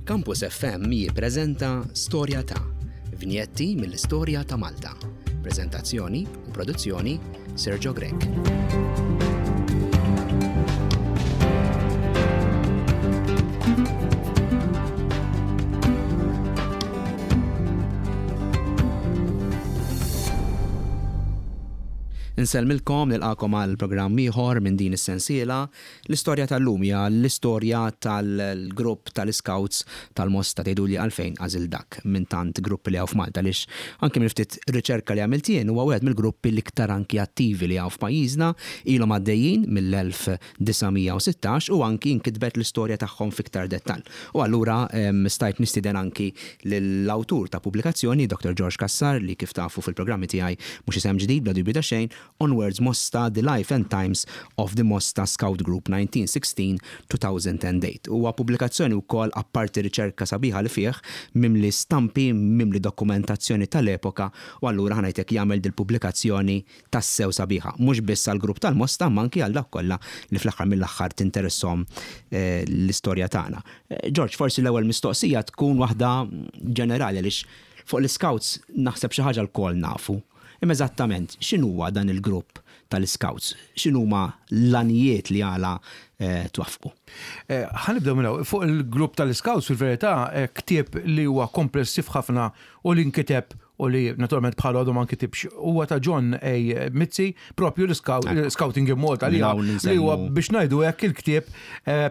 Campus FM jippreżenta Storja ta' vinjetti mill-istorja ta' Malta. Preżentazzjoni u produzzjoni Sergio Grech. Insellmilkom nilqakom għal programm ieħor minn din is-sensiela. L-istorja tal-lum hija l-istorja tal-grupp tal-Iscouts tal-Mosta tgħiduli għalfejn għażilt dak minn tant gruppi li hawn f'Malta għaliex anke minn ftit riċerka li għamilt jien huwa wieħed mill-gruppi l-iktar anki attivi li hawn f'pajjiżna ilhom għaddejjin mill-1916 u anki nkitbet l-istorja tagħhom f'iktar dettall. U allura stajt nistieden anki lill-awtur ta' pubblikazzjoni, Dottor George Cassar, li kif tafu fil-programmi tiegħi mhux isem ġdid bla dubju ta' xejn, Onwards Mosta, The Life and Times of the Mosta Scout Group 1916-2008. Huwa pubblikazzjoni wkoll apparti riċerka sabiħa li fih, mimli stampi, mimli dokumentazzjoni tal-epoka u allura ħa ngħid hekk jagħmel dil-pubblikazzjoni tassew sabiħa, mhux biss għall-grupp tal-Mosta imma anki għal dawk kollha li fl-aħħar mill-aħħar tinteresshom l-istorja tagħna. George, forsi l-ewwel mistoqsija tkun waħda ġenerali għaliex fuq l-Iscouts naħseb xi ħaġa lkoll nafu. Imma eżattament x'inhuwa dan il-grupp tal-Iscouts? X'inhuma l-għanijiet li għala twaffqu? Ħa nibdew minn hawn. Fuq il-grupp tal-Iscouts fil-verità ktieb li huwa komplessiv ħafna u li nkiteb u li naturalment bħalu għadu ma nkitibx huwa ta' John A. Mizzi, propju l-Scouting in Malta li huwa biex ngħidu hekk il-ktieb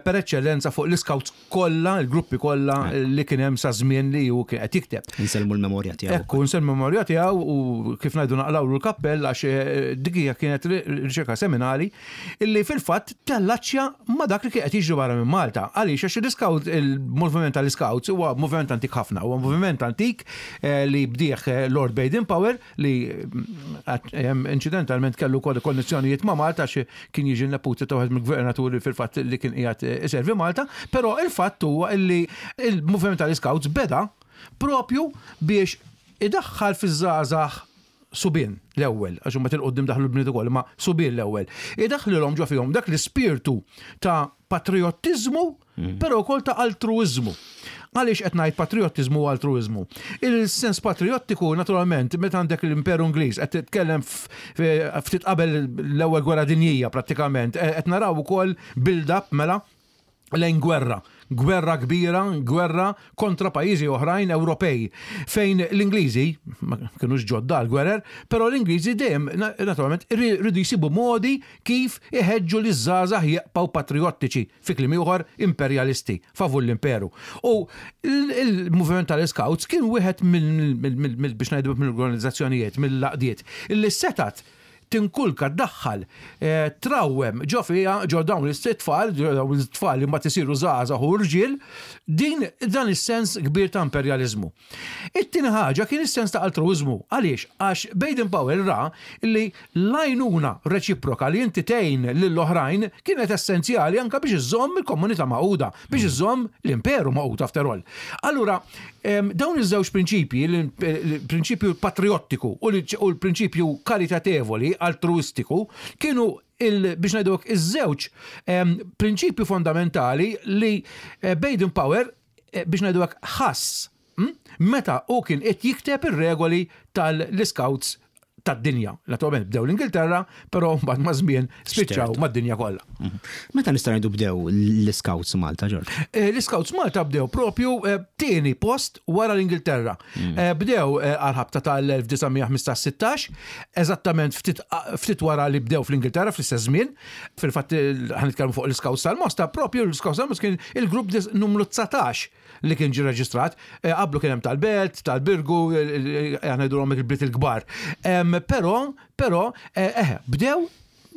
per eċċellenza fuq l-Iscouts kollha, il-gruppi kollha li kien hemm sa żmien li hu kien qed jikteb. Insellmu l-memorja tiegħu. Ekku, insellmu l-memorja tiegħu u kif ngħidu naqlawlu l-kappell għax eh, dik hija kienet riċerka seminali illi fil-fatt tellaċċja ma' dak li kien qed jiġri barra minn Malta. Għaliex għax l-iscout il-moviment tal-iscouts huwa moviment antik ħafna, huwa moviment antik eh, li bdieħ eh, Lord Baden Powell li mm, incidentalment kellu wkoll konnessjonijiet ma' Malta għax kien jiġi neputi ta' wieħed mill-gvernaturi fil-fatt li kien qiegħed iservi Malta, però il-fatt huwa li il-moviment tal-Scouts beda propju biex idaħħal fiż-żgħażagħ subien l-ewwel, għax imbagħad il-qudiem daħlu l-bniet ukoll, imma subien l-ewwel. Idaħħlilhom ġo fihom dak l-ispirtu ta' patrijottiżmu però wkoll ta' altruiżmu. Għaliex qed ngħid patrijottiżmu u altruiżmu? Il-sens patrijottiku, naturalment, meta għandek l-Imperu Ingliż qed titkellem ftit qabel l-Ewwel Gwerra Dinjija prattikament, qed naraw ukoll build-up mela lejn gwerra. Gwerra kbira, gwerra kontra pajjiżi oħrajn Ewropej, fejn l-Ingliżi, ma kinux ġodda għall-gwerer, però l-Ingliżi dejjem naturalment riedu jsibu modi kif iħeġġu liż-żgħażagħ jibqgħu patrijottiċi, fi kliem ieħor imperjalisti, favur l-imperu. U l-moviment tal-Iscouts kien wieħed mill biex ngħidu mill-organizzazzjonijiet, mill-għaqdiet, illi setgħet tinkulka, ddaħħal, trawwem ġo fiha, ġo dawn it-tfal, ġo dawn it-tfal li mbagħad isiru żgħażagħ u rġiel, din dan is-sens kbir ta' imperjaliżmu. It-tieni ħaġa kien is-sens ta' altruwiżmu. Għaliex? Għax Baden Powell ra li l-għajnuna reċiproka li inti tgħin lill-oħrajn kienet essenzjali anke biex iżżomm il-komunità magħquda, biex iżżomm l-imperu magħqud after all. Allura, dawn iż-żewġ prinċipji, il-prinċipju patrijottiku u l-prinċipju karitatevoli, altruwistiku, kienu biex ngħidu hekk iż-żewġ prinċipju fondamentali li eh, Baden Powell eh, biex ngħidu hekk ħass hm, meta hu kien qed jikteb ir-regoli tal-Scouts tad-dinja. Naturalment bdew l-Ingilterra, però mbagħad ma' żmien spiċċaw mad-dinja kollha. Mhm. Meta nista' ngħidu bdew l-Scouts Malta, Ġorġ? Eh, L-Scouts Malta bdew propju eh, tieni post wara l-Ingilterra. Mm. Eh, bdew għal-ħabta tal-1915-16, eżattament ftit wara li bdew fl-Ingilterra fl-istess żmien. Fil-fatt ħanitkellmu fuq l-Scouts tal-Mosta, propju l-Scouts tal-Mosta kien il-grupp numru 19 li kien ġie reġistrat. Eh, qablu kien hemm tal-Belt, tal-Birgu, eh, eh, ngħidulhom il-bliet il-kbar. Però, però, eh, bdew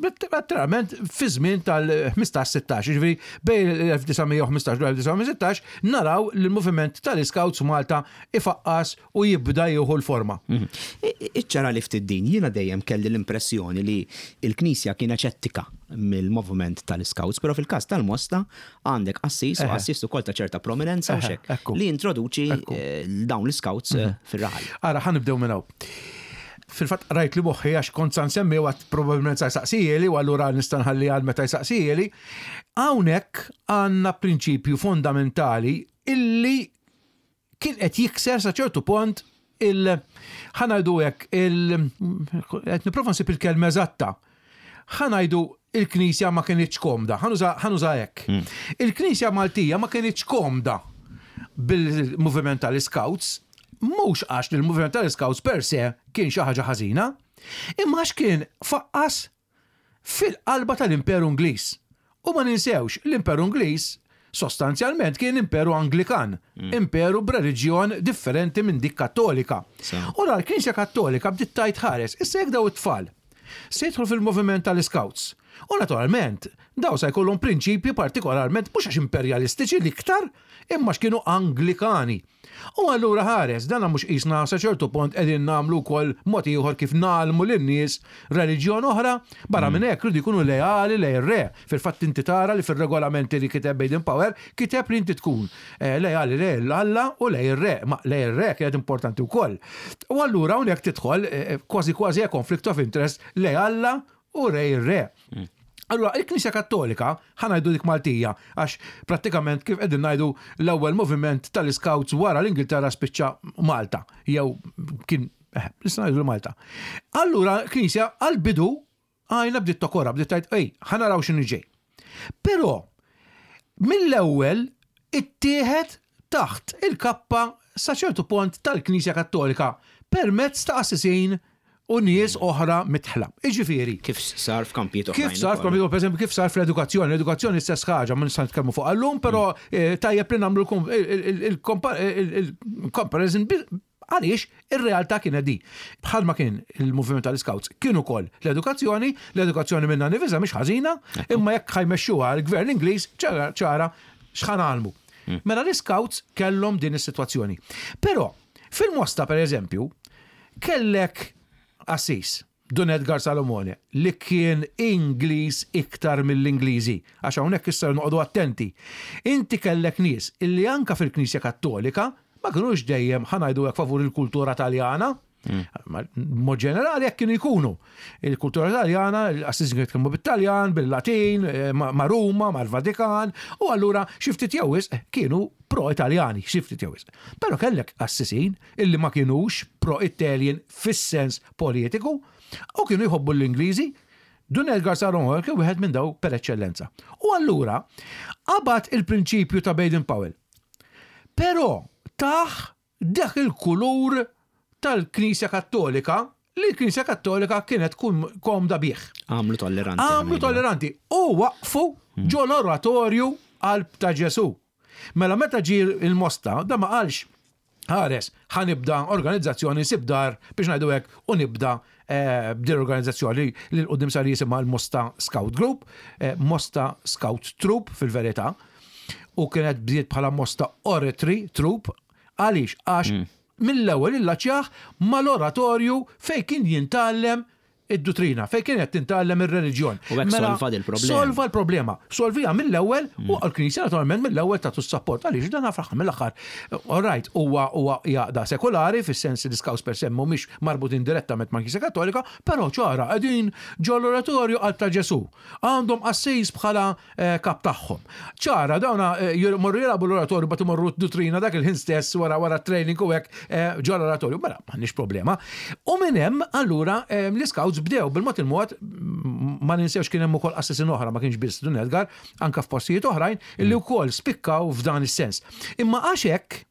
letteralment fi żmien tal-15-16, ġifieri bejn l-1915 u l-1916 naraw li l-moviment tal-Scouts Malta ifaqqas u jibda jieħu l-forma. Mhm. Iċċara li ftit din, jiena dejjem kelli l-impressjoni li l-Knisja kienet xettika mill-moviment tal-Scouts, però fil-każ tal-Mosta għandek qassis u qassis ukoll ta' ċerta prominenza u xek li introduċi eh, dawn l-Scouts eh, mhm. fir-raħal. Ara, ħa nibdew minn hawn. Fil-fatt rajt li moħħi għax kont sa nsemmi għat probabbilment sa jsaqsijeli u allura nista' nħalli għal meta jsaqsijeli. Hawnhekk għandna prinċipju fondamentali. illi kien qed jikser sa ċertu pont il ħa ngħidu hekk il qed nipprova nsib il-kelma eżatta. Ħa ngħidu il-Knisja ma kinitx komda, ħa nuża hekk. Il-Knisja Maltija ma kinitx komda bil-moviment tal-Scouts, mhux għax li l-moviment tal-Scouts per se kien xi ħaġa ħażina, imma għax kien faqqas fil-qalba tal-Imperu Ingliż. U ma ninsewx, l-Imperu Ingliż sostanzjalment kien imperu Anglikan, imperu b'reliġjon differenti minn dik Kattolika. U la l-Knisja Kattolika bdiet tgħid ħares, issa jekk daw it-tfal se jidħlu fil-moviment tal-Scouts. U naturalment, daw sa jkollhom prinċipji partikolarment mhux għax imperjalistiċi l-iktar, imma għax kienu Anglikani. U allura ħares, dana mhux qisna sa ċertu punt qegħdin nagħmlu wkoll mod ieħor kif ngħallmu lin-nies reliġjon oħra? Barra minn hekk rridu jkunu leali lejn ir-re. Fil-fatt inti tara li fir-regolamenti li kiteb Baden Powell kiteb li inti tkun leali lejn Alla u lejn ir-re. Ma lejn ir-re kienet importanti wkoll. U allura hawnhekk tidħol kważi kważi conflict of interest lejn Alla u lejn ir-re. Allura, il-Knisja Kattolika, ħa ngħidu dik Maltija, għax prattikament kif qegħdin ngħidu l-ewwel moviment tal-Scouts wara l-Ingilterra spiċċa Malta, jew kien, nista' ngħidu Malta. Allura, l-Knisja għall-bidu għajna bdiet tokora, bdiet tgħid, ej, ħa naraw x'inhu ġej. Però, mill-ewwel ittieħed taħt il-kappa sa ċertu pont tal-Knisja Kattolika permezz ta' qassisin u nies oħra midħla. Jiġifieri. Kif sar f'kampijiet oħrajn. Kif sar f'kampijiet, per eżempju, kif sar fl-edukazzjoni. L-edukazzjoni stess ħaġa, ma nista' nitkellmu fuq għallum, però eh, tajjeb li nagħmlu il-comparison għaliex ir-realtà kienet di. Bħalma kien il-moviment tal-Scouts, kien ukoll l-edukazzjoni, l-edukazzjoni minna nifisha mhix ħażina, imma jekk ħajmexxuha l-gvern Ingliż ċara x'ħan għalmu. Hmm. Mela l-Scouts kellhom din is-sitwazzjoni. Però fil-Mosta per eżempju, Kellek qassis, Dun Edgar Salomone, li kien Ingliż iktar mill-Ingliżi, għax hawnhekk issa noqogħdu attenti. Inti kellek nies illi anke fil-Knisja Kattolika ma kinux dejjem, ħa ngħidu hekk, favur il-kultura Taljana. B'mod ġenerali hekk kienu jkunu. Il-kultura Taljana, il-qassisin kienu jitkellmu bit-Taljan, bil-Latin, ma' Ruma, mal-Vatikan, u allura xi ftit jew wisq kienu pro-Italjani, xi ftit jew wisq. Però kellek qassisin illi ma kinux pro-Italian fis-sens politiku u kienu jħobbu l-Ingliżi. Dun Edgar Saron kien wieħed minn daw per eċċellenza. U allura qabad il-prinċipju ta' Baden Powell. Però tah dak il-kulur tal-Knisja Kattolika li l-Knisja Kattolika kienet komda bih. Għamlu tolleranti. Għamlu tolleranti u waqfu ġo l-oratorju qalb ta' Ġesu. Mela meta ġie il-Mosta, da ma qalx ħares, ħa nibda organizzazzjoni nsib dar biex ngħidu hekk u nibda eh, b'din organizzazzjoni li l-qudiem sar jisimha l-Mosta Scout Group, eh, Mosta Scout Troop fil-verità, u kienet bdiet bħala Mosta Oratory Troop, għaliex għax mm. mill-ewwel illaċjaħ mal-oratorju fejn kien jintgħallem id-duttrina, fejn kienet tintgħallem ir-reliġjon. U hekk mela, solva dil-problema. Solva l-problema. Solvija mill-ewwel mm. u l-Knisja naturalment mill-ewwel tagħtu s-sapport għaliex dan fl-aħħar mill-aħħar. All right, huwa huwa jaqda sekulari fis-sens li scouts per se mhumiex marbutin direttament mal-Knisja Kattolika, però ċara qegħdin ġol-oratorju għal ta' Ġesu. Għandhom qassis bħala eh, kap tagħhom. Ċara, dawna eh, morru jilagħbu l-oratorju bat imorru d-dutrina dak il-ħin stess wara wara training u hekk eh, ġol oratorju. Mela, m'għandniex problema. U minn hemm allura l-iscouts bdew bil-mod il-mod ma ninsewx kien hemm ukoll qassisin oħra ma kienx biss Dun Edgar, anka f'postijiet oħrajn illi wkoll spikkaw f'dan is-sens. Imma għax hekk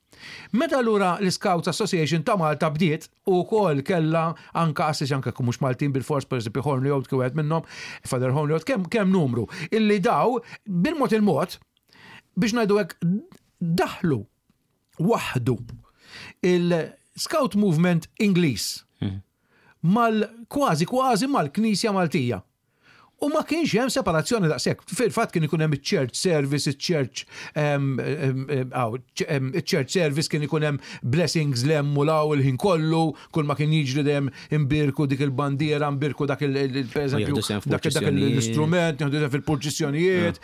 Meta allura l-Scouts Association ta' Malta bdiet u wkoll kellha anka assisi anke mhux Maltin bil-fors pereżempju Hornley kien wieħed minnhom, Father Hornley kemm kemm numru illi daw bil-mod il-mod biex ngħidu hekk daħlu waħdu il-Scout Movement Ingliż mhm. mal kważi kważi mal-Knisja Maltija. U ma kienx hemm separazzjoni daqshekk. Fil-fatt kien ikun hemm iċ-church service, iċ-church iċ-church service kien ikun hemm blessings l-hemm u l-hawn il-ħin kollu, kull ma kien jiġri dejjem imbierku dik il-bandiera, imbierku dak il-pereżempju dak l-istrument, nieħdu sehem fil-purċissjonijiet.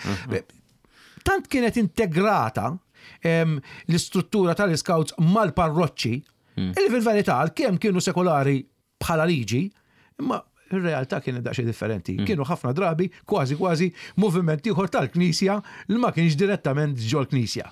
Tant kienet integrata l-istruttura tal-iscouts mal-parroċċi, illi fil-verità għalkemm kienu sekolari bħala liġi, imma Ir-realtà kienet daqsxejn differenti. Kienu ħafna drabi kważi kważi moviment ieħor tal-Knisja li ma kienx direttament ġol-Knisja.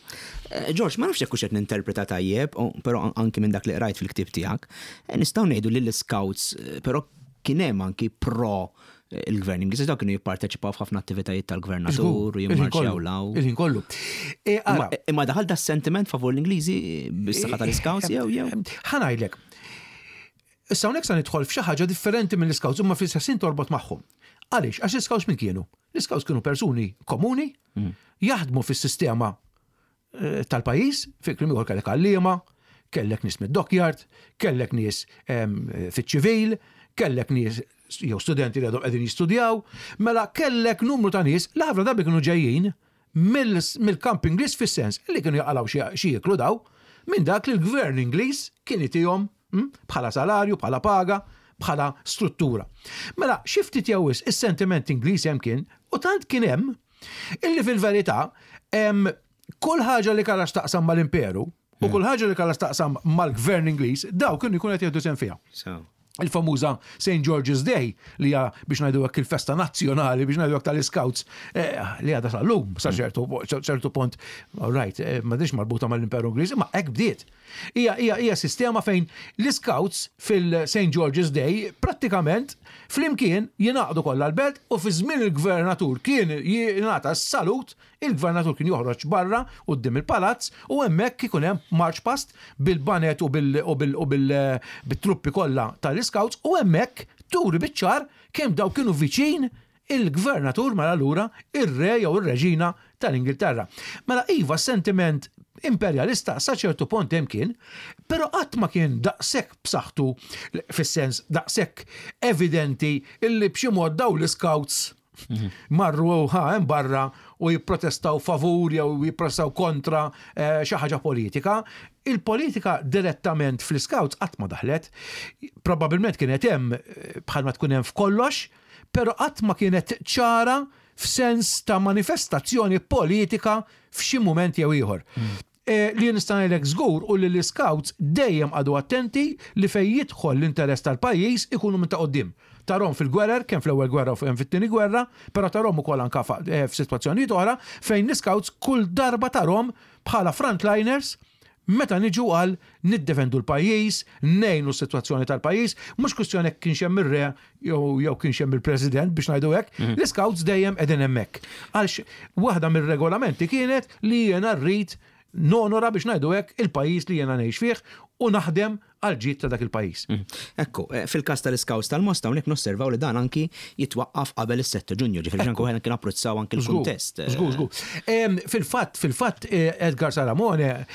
Eh, George, ma nafx jekk hux qed ninterpreta tajjeb, però anki minn dak li qrajt fil-ktieb tiegħek, eh, nistgħu ngħidu li l-Scouts eh, però kien hemm anki pro il-gvern Ingliż, dawk kienu jipparteċipaw f'ħafna attivitajiet tal-gvernatur u jimmarċjaw law. Il-ħin kollu. Imma daħal da sentiment favur l-Ingliżi bis-saħħa tal-Scouts jew jew. Ħa ngħidlek. Issa hawnhekk sa nidħol f'xi ħaġa differenti mill-Scouts imma fl-istess ħin torbot magħhom. Għaliex? Għax l-Scouts min kienu? L-Scouts kienu persuni komuni, jaħdmu fis-sistema eh, tal-pajjiż, fi kliem ieħor kellek għalliema, kellek nies mid-dockyard, kellek nies fiċ-ċivil, kellek nies jew studenti li għadhom qegħdin jistudjaw, mela kellek numru ta' nies li ħafna drabi kienu ġejjin mill-kamp Ingliż fis-sens li kienu jaqalgħu xi jieklu daw minn dak li l-gvern Ingliż kien itihom bħala salarju, bħala paga, bħala struttura. Mela, xi ftit jew wisq is-sentiment Ingliż hemm kien u tant kien hemm illi fil-verità kull ħaġa li kellha x'taqsam mal-imperu u kull ħaġa li kellha x'taqsam mal-gvern Ingliż, daw kienu jkunu qed jieħdu sehem fiha. Il-famuża St. George's Day li hija biex ngħidu hekk il-festa nazzjonali biex ngħidu hekk tal-Scouts eh, li għadha sal-lum sa hmm. ċertu ċertu punt, all right, eh, m'għadix marbuta mal-Imperu Ingliż, imma hekk bdiet. Hija hija hija sistema fejn l-Scouts fil-St. George's Day prattikament flimkien jingħaqdu kollha l-belt u fi żmien il-gvernatur kien jingħata s-salut Il-gvernatur kien joħroġ barra quddiem il-palazz u hemmhekk ikun hemm march past bil-banet u bil-truppi kollha tal-iscouts u hemmhekk turi biċ-ċar kemm dawk kienu viċin il-gvernatur mela allura ir-re jew ir-reġina tal-Ingilterra. Mela iva s-sentiment imperjalista sa ċertu pont hemm kien, però qatt ma kien daqshekk b'saħħtu fis-sens daqshekk evidenti illi b'xi mod dawn l-iscouts Marru ħa hemm barra u jipprotestaw favur jew jipprotestaw kontra eh, xi ħaġa politika. Il-politika direttament fl-Scouts qatt ma daħlet. Probabbilment kienet hemm eh, bħalma tkun hemm f'kollox, però qatt ma kienet ċara f'sens ta' manifestazzjoni politika f'xi mument jew ieħor. Mm. Eh, li nista' ngħidlek żgur u li l-Scouts dejjem qagħdu attenti li fejn jidħol l-interess tal-pajjiż ikunu minn ta' quddiem. Tarhom fil-gwerer, kemm fl-ewwel gwerra u kemm fit-tieni gwerra, però tarhom ukoll anke eh, f'sitwazzjonijiet oħra fejn l-Scouts kull darba tarhom bħala frontliners meta niġu għal niddefendu l-pajjiż, ngħinu s-sitwazzjoni tal-pajjiż, mhux kwistjoni jekk kienx hemm ir-re jew jew kienx hemm il-President biex ngħidu hekk, mhm. l-Scouts dejjem qegħdin hemmhekk. Għalx waħda mir-regolamenti kienet li jiena rrid nonora biex ngħidu hekk il-pajjiż li jiena ngħix fih u naħdem għal ġid ta' dak il-pajjiż. Mhm. Ekku, eh, fil-każ tal-Scouts tal-Mosta hawnhekk nosservaw li dan anki jitwaqqaf qabel is-7 Ġunju, ġifieri anke wieħed kien apprezzaw anki l-kuntest. Eh. Żgur, żgur. Fil-fatt, fil-fatt eh, Edgar Salamone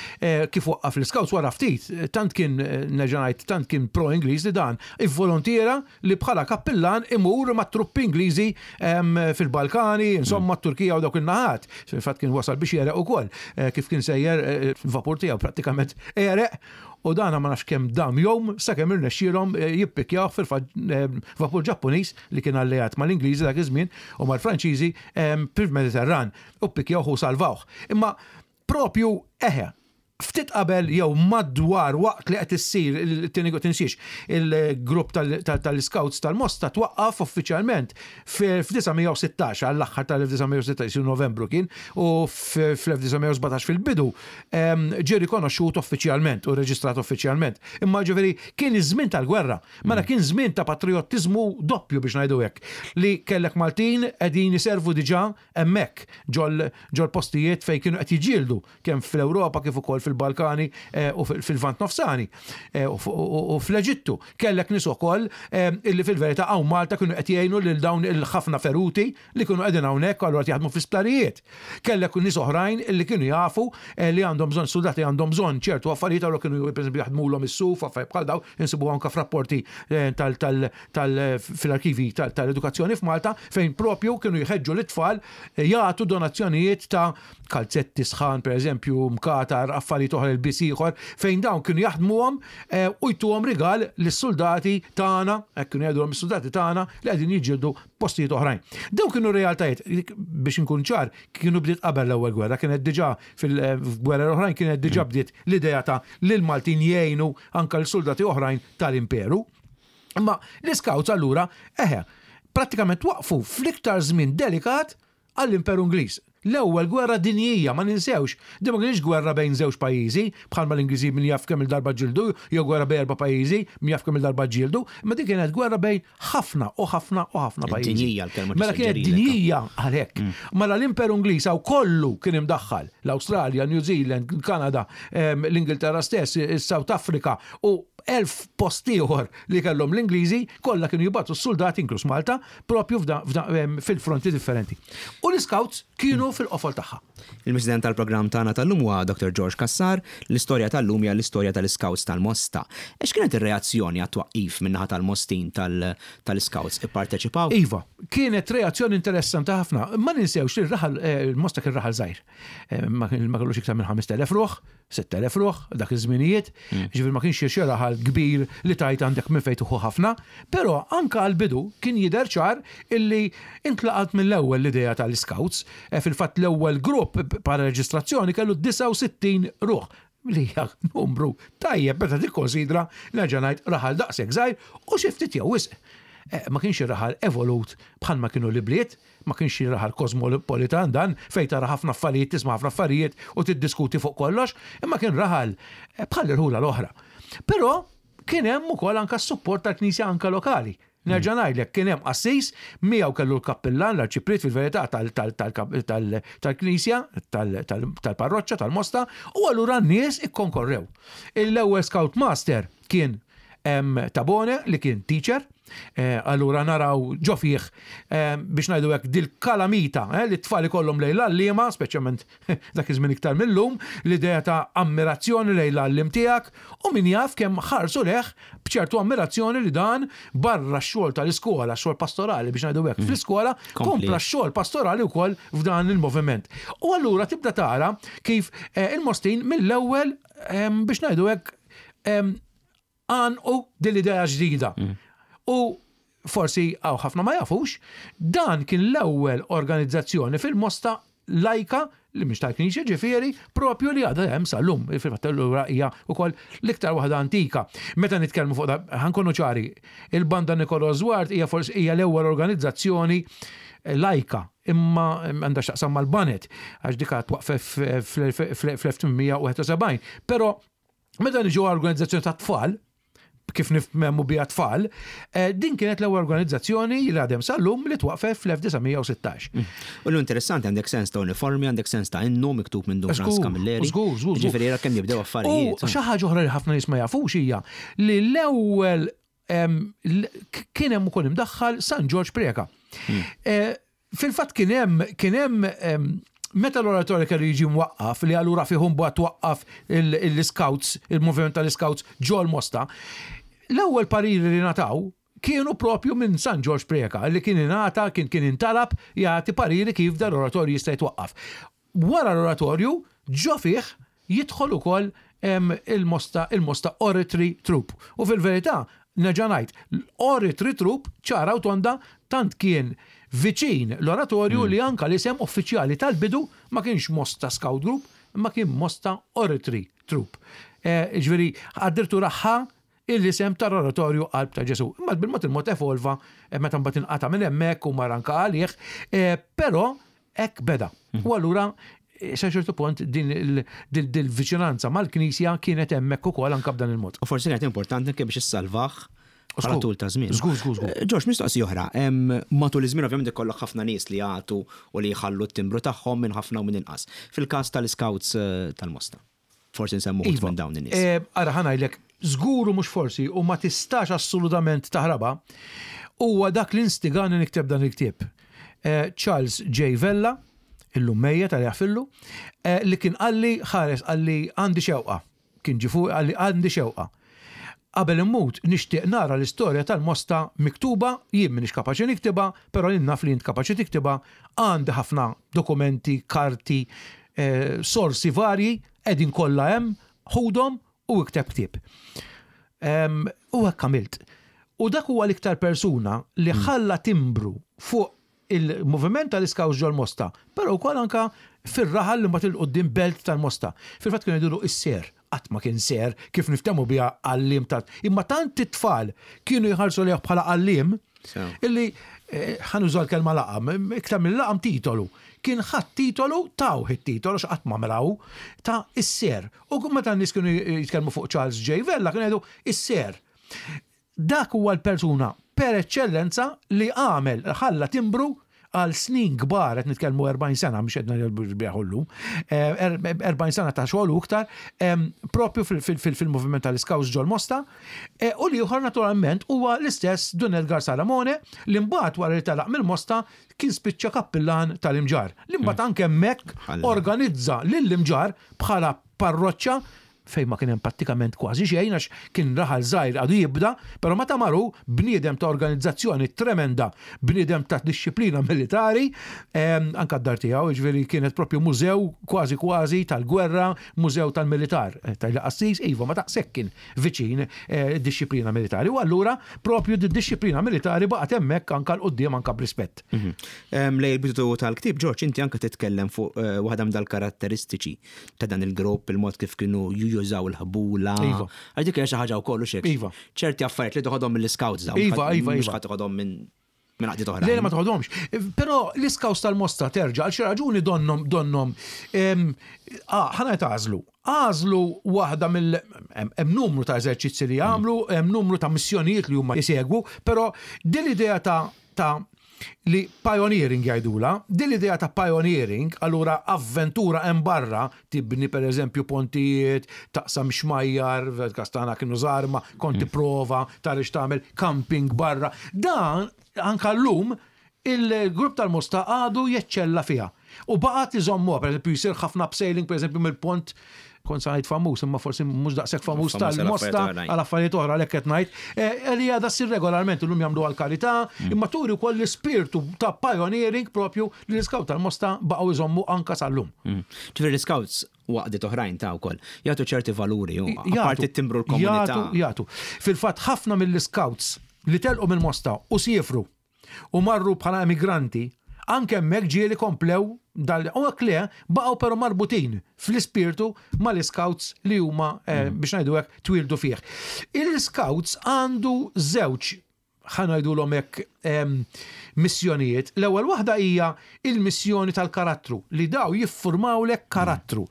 kif waqqaf l-Scouts wara ftit, tant kien nerġa' ngħid, tant kien pro-Ingliż li dan Ivvoluntiera li bħala kappillan imur mat-truppi Ingliżi fil-Balkani, insomma t-Turkija u dawk in-naħat. Fil-fatt kien wasal biex jegħreq ukoll, kif kien sejjer il-vapur tiegħu prattikament għereq u dana ma nafx kemm dam jom sakemm irnexxielhom jippikkjawh fil-fatt vapur Ġappuniż li kien alleat mal-Ingliżi dak iż-żmien u mal-Franċiżi fil-Mediterran u ppikkjawh u salvawh. Imma propju eħe, ftit qabel jew madwar waqt li qed issir it-tieni tinsiex il-grupp tal-Scouts tal-Mosta twaqqaf uffiċjalment fl-1916 għall-aħħar tal-1916 isir Novembru kien u fl-1917 fil-bidu ġie rikonoxxut uffiċjalment u reġistrat uffiċjalment. Imma ġifieri kien iż-żmien tal-gwerra. Mela kien żmien ta' patrijottiżmu doppju biex ngħidu hekk li kellek Maltin qegħdin iservu diġà hemmhekk ġol-postijiet fejn kienu qed jiġġieldu kemm fl-Ewropa kif ukoll fil-Balkani u fil-Lvant Nofsani u fl-Eġittu. Kellek nies ukoll illi fil-verità hawn Malta kienu qed jgħinu lil dawn il-ħafna feruti li kienu qegħdin hawnhekk u allura qed jaħdmu fl-isptarijiet. Kellek nies oħrajn illi kienu jafu li għandhom bżonn suldati għandhom bżonn ċertu affarijiet allura kienu pereżempju jaħdmulhom is-suf affarijiet bħal dawn insibuha anke f'rapporti fil-arkivi tal-edukazzjoni f'Malta fejn propju kienu jħeġġu lit-tfal jagħtu donazzjonijiet ta' kalzetti sħan pereżempju, mkatar, affarijiet oħra, ilbies ieħor, fejn dawn kienu jaħdmuhom eh, u jtuhom rigal lis-suldati tagħna, hekk kienu jgħidulhom is-suldati tagħna li qegħdin jiġġieldu postijiet oħrajn. Dawn kienu realtajiet, biex inkun ċar, kienu bdiet qabel l-ewwel gwerra, kienet diġà fil-gwerra l-oħrajn kienet diġà bdiet l-idea ta' li l-Maltin jgħinu anke l-suldati oħrajn tal-imperu. Imma l-Scouts allura, eħe, prattikament waqfu fl-iktar żmien delikat għall-Imperu Ingliż. L-Ewwel Gwerra Dinjija, ma ninsewx, din ma kinitx gwerra bejn żewġ pajjiżi, bħalma l-Ingliżi min jaf kemm-il darba ġġieldu, jew gwerra bejn erba' pajjiżi, min jaf kemm-il darba ġġieldu, imma din kienet gwerra bejn ħafna u ħafna u ħafna pajjiżi. Dinjija l-kelma Mela kienet dinjija għalhekk. Mela l-Imperu Ingliż hawn kollu kien imdaħħal, l-Awstralja, New Zealand, il-Kanada, l-Ingilterra stess, is-South Africa u 1000 post ieħor li kellhom l-Ingliżi, kollha kienu jibgħatu s-suldati, inkluż Malta, propju fil-fronti differenti. U l-Scouts kienu fil-qofol tagħha. Il-President tal-programm tagħna tal-lum huwa Dr. George Cassar, l-istorja tal-lum hija l-istorja tal-Scouts tal-Mosta. X'kienet ir-reazzjoni għat-twaqqif min-naħa tal-Mostin tal-Scouts? Ipparteċipaw? Iva, kienet reazzjoni interessanti ħafna. Ma ninsewx li r-raħal, il-Mosta kien raħal żgħir. Ma kellux iktar minn 5,000 ruħ, 6,000 ruħ dak iż-żminijiet, hmm. ġifier ma kienx xi raħal kbir li tajt għandek minn fejn tuħu ħafna, però anka għall-bidu kien jidher ċar illi intlaqat mill-ewwel l-idea tal-Scouts, e, fil-fatt l-ewwel grupp bħala reġistrazzjoni kellu 69 ruħ li hija numru tajjeb meta tikkonsidra nerġa' ngħid raħal daqshekk żgħir u xi ftit jew wisq. E, ma kienx raħal evolut bħalma kienu l-ibliet, Ma kienx xi raħal kosmopolitan dan, fejn tara ħafna affarijiet, tisma' ħafna affarijiet u tiddiskuti fuq kollox, imma kien raħal eh, bħal irħula l-oħra. Però kien hemm ukoll anke s-support tal-Knisja anke lokali. Nerġa' ngħidlek kien hemm qassis miegħu kellu l-kappillan l-arċipriet fil-verità tal-Knisja, tal-parroċċa tal-Mosta, u allura n-nies ikkonkorrew. L-ewwel Scout Master kien Tabone li kien teacher, eh, allura naraw ġo fih eh, biex ngħidu hekk dil-kalamita eh, li t-tfal ikollhom lejn l-għalliema, speċjalment dak iż-żmien iktar millum, l-idea ta' ammirazzjoni lejn l-għalliem tiegħek u min jaf kemm ħarsu leh b'ċertu ammirazzjoni li dan barra x-xogħol tal-iskola, x-xogħol pastorali biex ngħidu hekk mm. fl-iskola, kompla x-xogħol pastorali wkoll f'dan il-moviment. U allura tibda tara kif il-Mostin mill-ewwel biex ngħidu hekk għanqu din l-idea ġdida. Mm. U forsi għaw ħafna ma jafux, dan kien l-ewwel organizzazzjoni fil-Mosta lajka li mhix tal-Knisja ġifieri propju li għadha hemm sal-lum. Fil-fatt allura hija wkoll l-iktar waħda antika. Meta nitkellmu fuq ħankunu ċari, il-Banda Nikolo Zwart hija forsi hija l-ewwel organizzazzjoni lajka imma għandha x'taqsam mal-banet għax dika twaqfet fl-1871. Però meta niġu organizzazzjoni ta' tfal, kif nifhmu biha tfal, eh, din kienet l-ewwel organizzazzjoni li għadem sal-lum li twaqfet fl-1916. Mm. U l-interessanti għandek sens ta' uniformi, għandek sens ta' innu miktub minn Dun Frans Camilleri. Żgur, żgur. Ġifieri era kemm jibdew affarijiet. U xi ħaġa oħra li ħafna nies ma jafux hija li l-ewwel kien hemm ukoll imdaħħal San Ġorġ Preca. Hmm. Eh, fil-fatt kien hemm kien hemm meta l-oratorju kellu jiġi mwaqqaf li allura fih mbagħad twaqqaf l-scouts, il-moviment tal-scouts ġol Mosta, l-ewwel pariri li nataw kienu propju minn San Ġorġ Preca li kien ingħata kien kien intalab jagħti pariri kif dan l-oratorju jista' jitwaqqaf. Wara l-oratorju, ġo fih jidħol ukoll il-Mosta il-Mosta Oratory Troupe. U fil-verità, nerġa' ngħid, l-Oratory Troupe ċara u tonda tant kien viċin l-oratorju li anke l-isem uffiċjali tal-bidu ma kienx Mosta Scout Group imma kien Mosta Oratory Troupe. Jiġifieri addirittura ħa l-isem tal-Oratorju Qalb ta' Ġesù. Imma bil-mod il-mod evolva meta mbagħad inqata' minn hemmhekk u mar anke għalih, però hekk beda. Mhm. U allura sa ċertu punt din il-viċinanza mal-Knisja kienet hemmhekk ukoll anke b'dan il-mod. U forsi kienet importanti anke biex issalvah bħala tul ta' żmien. Żgur, żgur, żgur. Eh, Ġorġ, mistoqsija oħra. Matul iż-żmien ovvjament ikollok ħafna nies li jagħtu u li jħallu t-timbru tagħhom minn ħafna u minn inqas. Fil-każ tal-Scouts eh, tal-Mosta. Forsi nsemmu iva. minn dawn in-nies. Eh, ara ħa ngħidlek, żgur u mhux forsi u ma tistax assolutament taħrabha, huwa dak li instigani nikteb dan il-ktieb. Eh, Charles J. Vella, illum mejjet għal jaħfillu, eh, li kien qalli ħares qalli għandi xewqa. Kien ġie fuqi qalli għandi xewqa. Qabel immut nixtieq nara l-istorja tal-Mosta miktuba, jien m'iniex kapaċi niktibha, però jien naf li int kapaċi tiktibha, għandi ħafna dokumenti, karti, eh, sorsi varji, qegħdin kollha hemm, ħudhom u ikteb ktieb. U hekk għamilt. U dak huwa l-iktar persuna li hmm. ħalla timbru fuq il-moviment tal-Iskaws ġol-Mosta, però wkoll anka fir-raħal li mbagħad il-qudiem belt tal-Mosta. Fil-fatt kienu jgħidulu is-ser. Qatt ma kien ser kif niftehmu biha għalliem ta' imma tant it-tfal kienu jħarsu lejh bħala għalliem illi eh, ħa nuża l-kelma laqam, iktar minn laqam titolu. Kien ħadd titolu tawh it-titolu x'qatt ma mraw ta' is-ser. U meta n-nies kienu jitkellmu fuq Charles J. Vella kienu jgħidu is-ser. Dak huwa l-persuna per eċċellenza li għamel, ħalla timbru għal snin kbar, qed nitkellmu 40 sena, mhux qed ngħidu llum, 40 sena ta' xogħol u iktar, propju fil-moviment tal-Iskawts ġol-Mosta, u l-ieħor naturalment huwa l-istess Dun Edgar Salamone li mbagħad wara li telaq mill-Mosta kien spiċċa kappillan tal-Imġarr, li mbagħad anke hemmhekk organizza lill-Imġarr bħala parroċċa fejn ma kien hemm prattikament kważi xejn għax kien raħal żgħir għadu jibda, però meta mar hu, bniedem ta' organizzazzjoni tremenda, bniedem ta' dixxiplina militari, anke d-dar tiegħu, jiġifieri kienet propju mużew kważi kważi tal-gwerra, mużew tal-militar. Tgħidli qassis, iva, ma daqshekk kien viċin id-dixxiplina militari. U allura propju d-dixxiplina militari baqgħet hemmhekk anke 'l quddiem anke b'rispett. Lejn il-bidu tal-ktieb, Ġorġ, inti anke titkellem fuq waħda minn dal-karatteristiċi ta' dan il-grupp, il-mod kif kienu jużaw il-ħbula. Iva. Għax dik hija xi ħaġa wkoll u xek. Iva. Ċerti affarijiet li toħodhom mill-scouts dawn. Iva, iva, Mhux iva. ħadd toħodhom minn minn għaqdiet oħra. Le, ma toħodhomx. Però l-iskaws tal-Mosta terġa' għal xi raġuni donnom donnom ah, ħana għażlu. Għażlu waħda mill hemm numru ta' eżerċizzi li jagħmlu, hemm numru ta' missjonijiet li huma jsegwu, però din l-idea ta' ta' li pioneering jgħidulha, din l-idea ta' pioneering, allura avventura hemm barra, tibni per eżempju pontijiet, taqsam xmajjar, fil-każ tagħna kienu żgħar imma kont tipprova tara x'tagħmel, camping barra. Dan anke llum il-grupp tal-Mosta għadu jeċċella fiha. U baqgħet iżommuha, per eżempju jsir ħafna abseiling per eżempju mill-pont kont sa ngħid famuż, imma forsi mhux daqshekk famuż tal-Mosta għal affarijiet oħra għalhekk qed ngħid, eh, li għadha ssir regolarment illum jagħmlu għal karità, mm. imma turi wkoll l-ispirtu ta' pioneering propju li l-iskaut tal-Mosta baqgħu jżommu anka sal-lum. Mm. Ġifieri l-iskouts waqdiet oħrajn ta' wkoll jagħtu ċerti valuri u apparti timbru l-komunità. Jagħtu, Fil-fatt ħafna mill-iskouts li telqu mill-Mosta u siefru u marru bħala emigranti, anke hemmhekk ġieli komplew dal u hekk le, baqgħu però marbutin fl-ispirtu mal-iskouts li huma eh, mm. biex ngħidu hekk twieldu fih. Il-scouts għandu żewġ ħa ngħidulhom hekk missjonijiet. L-ewwel waħda hija il-missjoni tal-karattru li daw jiffurmawlek karattru.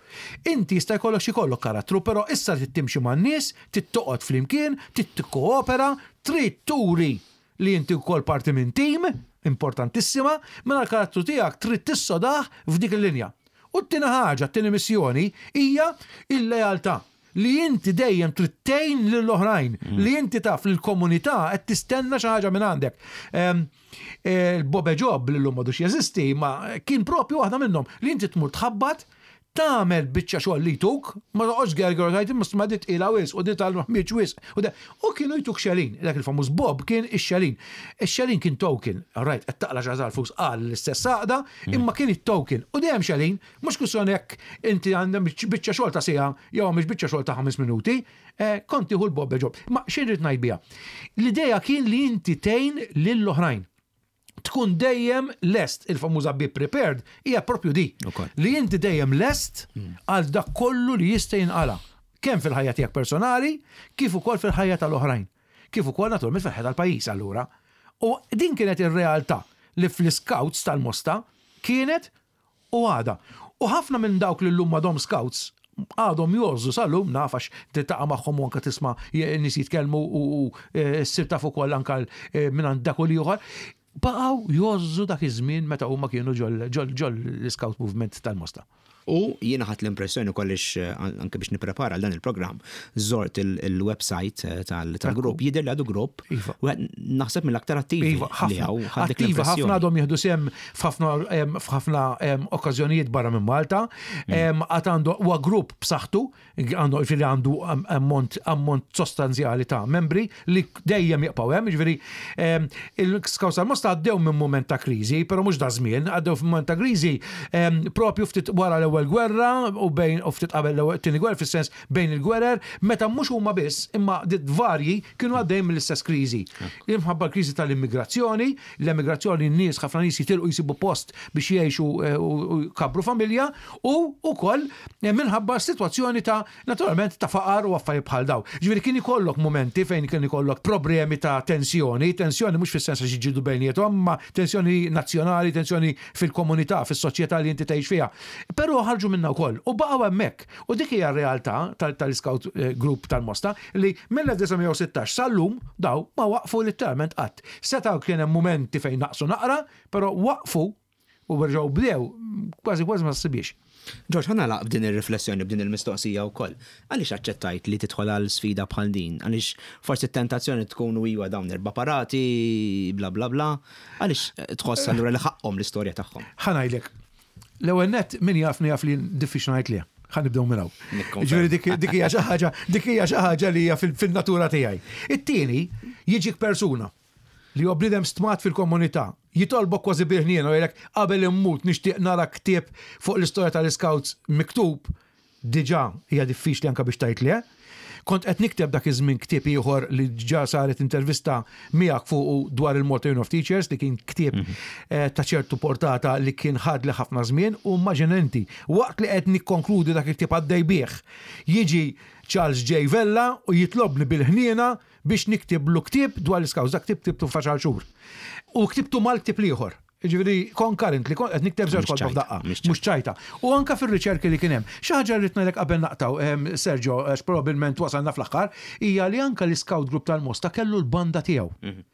Inti jista' jkollok xi jkollok karattru, però issa trid timxi man-nies, trid toqgħod flimkien, trid tikkoopera, trid turi li inti wkoll parti minn tim, importantissima, mela l-karattru tiegħek trid tissodah f'dik il-linja. U t-tieni ħaġa, t-tieni missjoni, hija l-lealtà. Li inti dejjem trid tgħin lill-oħrajn, mm. li inti taf li l-komunità qed tistenna xi ħaġa minn għandek. Ehm, eh, il-Bobe Job li llum m'għadux jeżisti, ma kien propju waħda minnhom li inti tmur tħabbat tagħmel biċċa xogħol li jtuk, ma toqgħodx gerger u tgħid imma ma dit tqila wisq u dit tal-ħmieġ wisq. U da- U kienu jtuk xelin, dak il-famuż Bob kien ix-xelin. Ix-xelin kien token, all right, qed taqla' xi ħaġa flus qal l-istess għaqda, imma kien it-token. U dejjem xelin, mhux kwistjoni jekk inti għandek biċċa xogħol ta' siegħa jew mhix biċċa xogħol ta' ħames minuti, eh, kont tieħu l-Bob job. Ma xi rrid ngħid biha? L-idea kien li inti tgħin lill-oħrajn. tkun dejjem lest, il-famuża be prepared, hija propju di. Li inti dejjem lest hmm. għal dak kollu li jista' jinqala. Kemm fil-ħajja tiegħek personali, kif ukoll fil-ħajja tal-oħrajn. Kif ukoll naturalment fil-ħajja tal-pajjiż allura. U din kienet ir-realtà li fl-scouts tal-Mosta kienet U għadha. U ħafna minn dawk li llum m'għadhom scouts għadhom jgħożżu sal-lum, naf għax tiltaqa' magħhom u anke tisma' nies jitkellmu u ssir taf ukoll anke mingħand dak u l-ieħor, baqgħu jgħożżu dak iż-żmien meta huma kienu ġol-Scout Movement tal-Mosta. U jiena ħadt l-impressjoni ukoll għax anke biex nipprepara għal dan il-programm, żort il-website eh, tal-grupp, jidher li għadu grupp, iva. naħseb mill-aktar attivi iva, li hawn. Attivi ħafna għadhom jieħdu sehem f'ħafna okkażjonijiet barra minn Malta, mm. għad għandu huwa grupp b'saħħtu, għandu ġifieri għandu ammont ammont sostanzjali ta' membri li dejjem jibqgħu hemm, ġifieri il-Scouts tal-Mosta għaddew minn mument ta' kriżi, però mhux da żmien, għaddew minn mument ta' kriżi propju ftit wara l l-ewwel gwerra u bejn u ftit qabel l-ewwel tieni gwerra fis-sens bejn il-gwerer meta mhux huma biss imma varji kienu għaddejjin mill-istess kriżi. Imħabba l-kriżi tal-immigrazzjoni, l-emigrazzjoni n-nies ħafna nies jitilqu jsibu post biex jgħixu eh, u jkabbru familja u wkoll eh, minħabba sitwazzjoni ta' naturalment ta' faqar u affarijiet bħal daw. Ġifieri kien ikollok mumenti fejn kien ikollok problemi ta' tensjoni, tensjoni mhux fis-sens għax jiġġieldu bejniethom, imma tensjoni nazzjonali, tensjoni fil-komunità, fis-soċjetà li inti tgħix fiha. Però ħarġu minnha wkoll u baqgħu hemmhekk. U dik hija r-realtà tal-Scout eh, Group tal-Mosta li mill-1916 sal-lum daw ma waqfu litteralment qatt. Setgħu kien hemm mumenti fejn naqsu naqra, però waqfu u reġgħu bdew kważi kważi ma ssibiex. Ġorġ, ħa nagħlaq b'din ir-riflessjoni, b'din il-mistoqsija wkoll. Għaliex aċċettajt li tidħol għal sfida bħal din? Għaliex forsi t-tentazzjoni tkun u iwa dawn erba' parati, bla bla bla. Għaliex tħoss allura li ħaqqhom l-istorja tagħhom? Ħa ngħidlek, l-ewwel nett min jafni jaf li diffiċli ngħid le. Ħa nibdew minn hawn. Ġifieri dik hija xi ħaġa, dik hija xi ħaġa li hija fil-natura tiegħi. It-tieni, jiġik persuna li huwa bniedem stmat fil-komunità, jitolbok kważi bil-ħniena u jgħidlek qabel immut nixtieq nara ktieb fuq l-istorja tal-Iscouts miktub, diġà hija diffiċli anke biex tgħid le. Kont qed nikteb dak iż-żmien ktieb ieħor li ġa saret intervista miegħek fuqu dwar il-Malta Union of Teachers li kien ktieb mhm. eh, ta' ċertu portata li kien ħadli ħafna żmien u immaġina inti waqt li qed nikkonkludi dak il-ktieb għaddej bih jiġi Charles J. Vella u jitlobni bil-ħniena biex niktiblu ktieb dwar l-Iscouts. Dak ktieb ktibtu f'għaxar xhur. U ktibtu mal-ktieb l-ieħor. Jiġifieri concurrently kont qed nikteb żewġ kotba f'daqqa. Mhux ċajta. U anke fir-riċerki li kien hemm. Xi ħaġa li rrid ngħidlek qabel naqtgħu, ehm, Sergio, għax probabbilment wasalna fl-aħħar, hija li anke l-Iscout Group tal-Mosta kellu l-banda tiegħu. Mhm.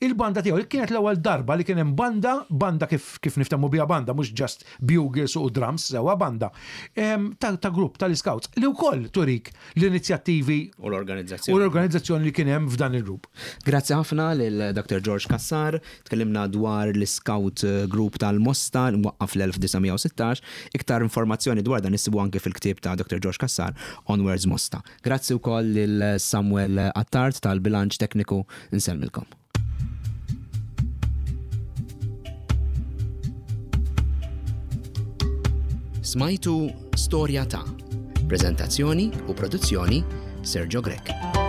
Il-banda tiegħu kienet l-ewwel darba li kien hemm banda, banda kif kif niftehmu biha banda, mhux just bugles u drums, sewwa banda, ta', ta grupp tal-Scouts li wkoll turik l-inizjattivi u l-organizzazzjoni. U l-organizzazzjoni li kien hemm f'dan il-grupp. Grazzi ħafna lil Dr. George Cassar, tkellimna dwar l-Scout Group tal-Mosta li mwaqqaf fl-1916. Iktar informazzjoni dwar dan issibu anke fil-ktieb ta' Dr. George Cassar, Onwards Mosta. Grazzi wkoll lil Samuel Attard tal-bilanċ tekniku nsellmilkom. Smajtu Storja ta' Preżentazzjoni u produzzjoni Sergio Grech.